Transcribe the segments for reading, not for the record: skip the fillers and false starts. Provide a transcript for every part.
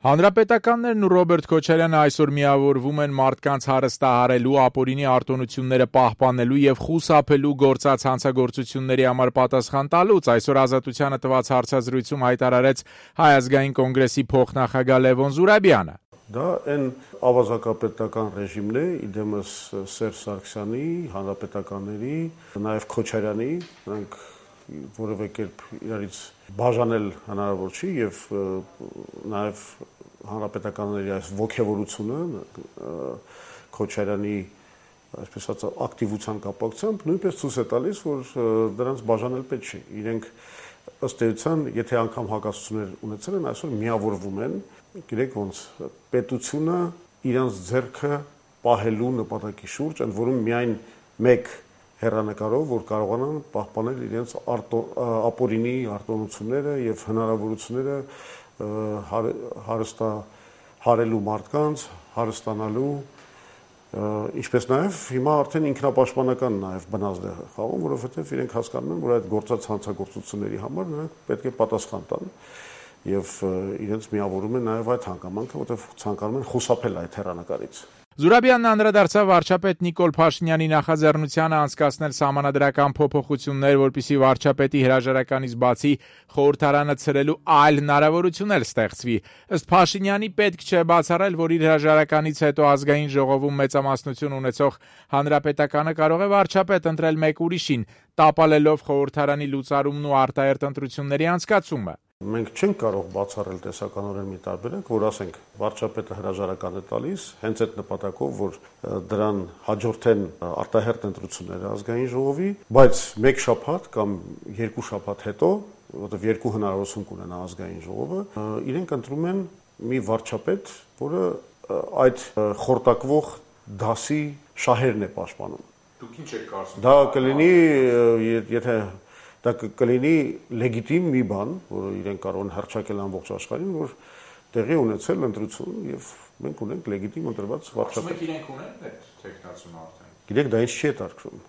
Հանրապետականներն ու Ռոբերտ Քոչարյանը այսօր միավորվում են մարդկանց հարստահարելու, ապօրինի արտոնությունները պահպանելու եւ խուսափելու գործած հանցագործությունների համար պատասխան տալուց այսօր Ազատությանը տված հարցազրույցում հայտարարեց Հայ ազգային կոնգրեսի փոխնախագահ Լևոն Զուրաբյանը. Դա այն ավազակապետական ռեժիմն է, իդեմս Սերժ Սարգսյանի, հանրապետականների, նաեւ Քոչարյանի, նրանք որևէ կերպ իրարից բաժանել հնարավոր չի եւ նաեւ հանրապետականների այս ողջավորությունը Քոչարյանի այսպես ասած ակտիվության կապակցությամբ նույնպես ցույց է տալիս, որ դրանց բաժանել պետք չի։ Իրենք ըստ էության, եթե անգամ հակասություններ ունեցել են, այսօր միավորվում են, գիտեք ոնց պետությունը իրանց ձեռքը պահելու նպատակի շուրջ, ընդ որում միայն մեկ հեռանկարով, որ կարողանան պահպանել իրենց ապօրինի արտոնությունները եւ հնարավորությունները հարստահարելու մարդկանց, հարստանալու, ինչպես նաեւ հիմա արդեն ինքնապաշտպանական նաեւ բնազդ է խաղում, որովհետեւ իրենք հասկանում են, որ այդ գործած հանցագործությունների համար նրանք պետք է պատասխան տան եւ իրենց միավորում են նաեւ այդ հանգամանքը, որտեղ ցանկանում են խուսափել այդ հեռանկարից։ Զուրաբյանն անդրադարձավ վարչապետ Նիկոլ Փաշինյանի նախաձեռնությանը անցկացնել սահմանադրական փոփոխություններ, որպեսզի վարչապետի հրաժարականից բացի խորհրդարանը ցրելու այլ հնարավորություն էլ ստեղծվի։ Ըստ Փաշինյանի պետք չէ բացառել, որ իր հրաժարականից հետո ազգային ժողովում մեծամասնություն ունեցող հանրապետականը կարող է վարչապետ ընտրել մեկ ուրիշին, տապալելով խորհրդարանի լուծարումն ու արտահերթ ընտրությունների անցկացումը։ Մենք չենք կարող բացառել տեսականորեն մի տարբերակ, որ ասենք վարչապետը հրաժարական է տալիս հենց այդ նպատակով, որ դրան հաջորդեն արտահերթ ընտրությունները ազգային ժողովի, բայց մեկ շաբաթ կամ երկու շաբաթ հետո, որովհետև երկու հնարավորություն կունենա ազգային ժողովը, իրենք ընտրում են մի վարչապետ, որը այդ խորտակվող դասի շահերն է պաշտպանում։ Դուք ինչ եք կարծում։ Դա կլինի, եթե դա կլինի լեգիտիմ մի բան, որը իրենք կարող են հռչակել ամբողջ աշխարհին, որ տեղի ունեցել ընտրություն եւ մենք ունենք լեգիտիմ ընտրված վարչապետ։ Ասում եք իրենք ունեն այդ տեխնացումը արդեն։ Գիտեք, դա ինձ չի հետաքրքրում։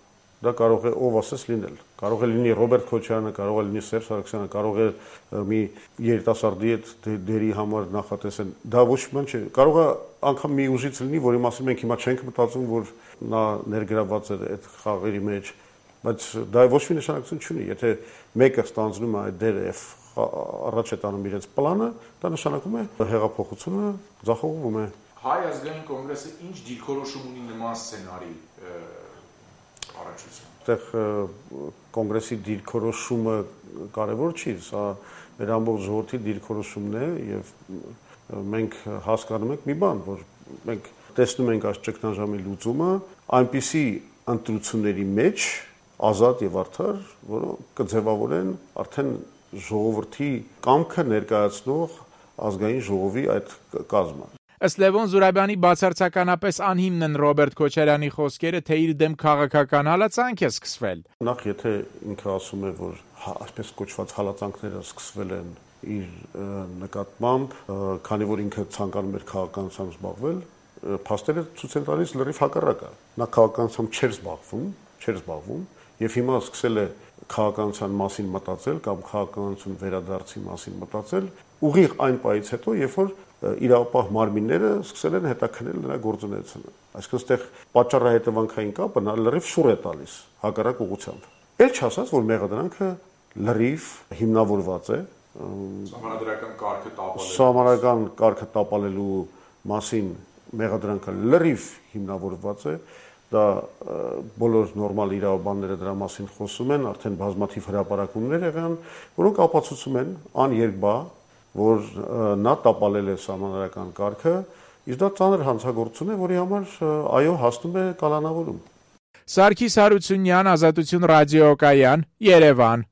Դա կարող է ով ասես լինել։ Կարող է լինի Ռոբերտ Քոչարյանը, կարող է լինի Սերժ Սարգսյանը, կարող է մի երիտասարդի այդ դերի համար նախատեսեն։ Դա ոչ մի բան չէ։ Կարող է անգամ մի ուժից լինի, որի մասին մենք հիմա չենք մտածում, որ նա ներգրավված է այդ խաղերի մեջ, բայց դա ոչ մի նշանակություն չունի։ Եթե մեկը ստանձնում է այդ դերը եւ առաջ է տանում իրենց պլանը, դա նշանակում է հեղափոխությունը ձախողվում է։ Հայ ազգային կոնգրեսը ինչ դիրքորոշում ունի նման սցենարի առաջություն։ Այդտեղ կոնգրեսի դիրքորոշումը կարևոր չի, սա մեր ամբողջ ժողովրդի դիրքորոշումն է եւ մենք հասկանում ենք մի բան, որ մենք տեսնում ենք այս ճգնաժամի լուծումը այնպիսի ընտրությունների մեջ ազատ եւ արդար, որոնք կձևավորեն արդեն ժողովրդի կամքը ներկայացնող ազգային ժողովի այդ կազմը։ Ըստ Լևոն Զուրաբյանի բացարձականապես անհիմն են Ռոբերտ Քոչարյանի խոսքերը, թե իր դեմ քաղաքական հալածանք է սկսվել։ Նախ եթե ինքը ասում է, որ այսպես կոչված հալածանքները սկսվել են իր նկատմամբ, քանի որ ինքը ցանկանում էր քաղաքականությամբ զբաղվել, փաստերը ցույց են տալիս լրիվ հակառակը։ Նա քաղաքականությամբ չէր զբաղվում եւ հիմա սկսել է քաղաքականության մասին մտածել կամ քաղաքականություն վերադարձի մասին մտածել ուղիղ այն պայից հետո, երբ որ իրավապահ մարմինները սկսել են հետաքննել նրա գործունեությունը։ Այսինքն այդտեղ պատճառահետևանքային կապը նա լրիվ շուռ է տալիս հակառակ ուղղությամբ։ Էլ չասած, որ մեղադրանքը լրիվ հիմնավորված է սահմանադրական կարգը տապալելու մասին մեղադրանքը լրիվ հիմնավորված է։ Դա բոլոր նորմալ իրավաբանները դրա մասին խոսում են, արդեն բազմաթիվ հրապարակումներ եղան, որոնք ապացուցում են աներկբա, որ նա տապալել է սահմանադրական կարգը, իսկ դա ծանր հանցագործություն է, որի համար այո հասնում է կալանավորում։ Սարգիս Հարությունյան, Ազատություն ռադիոկայան, Երևան։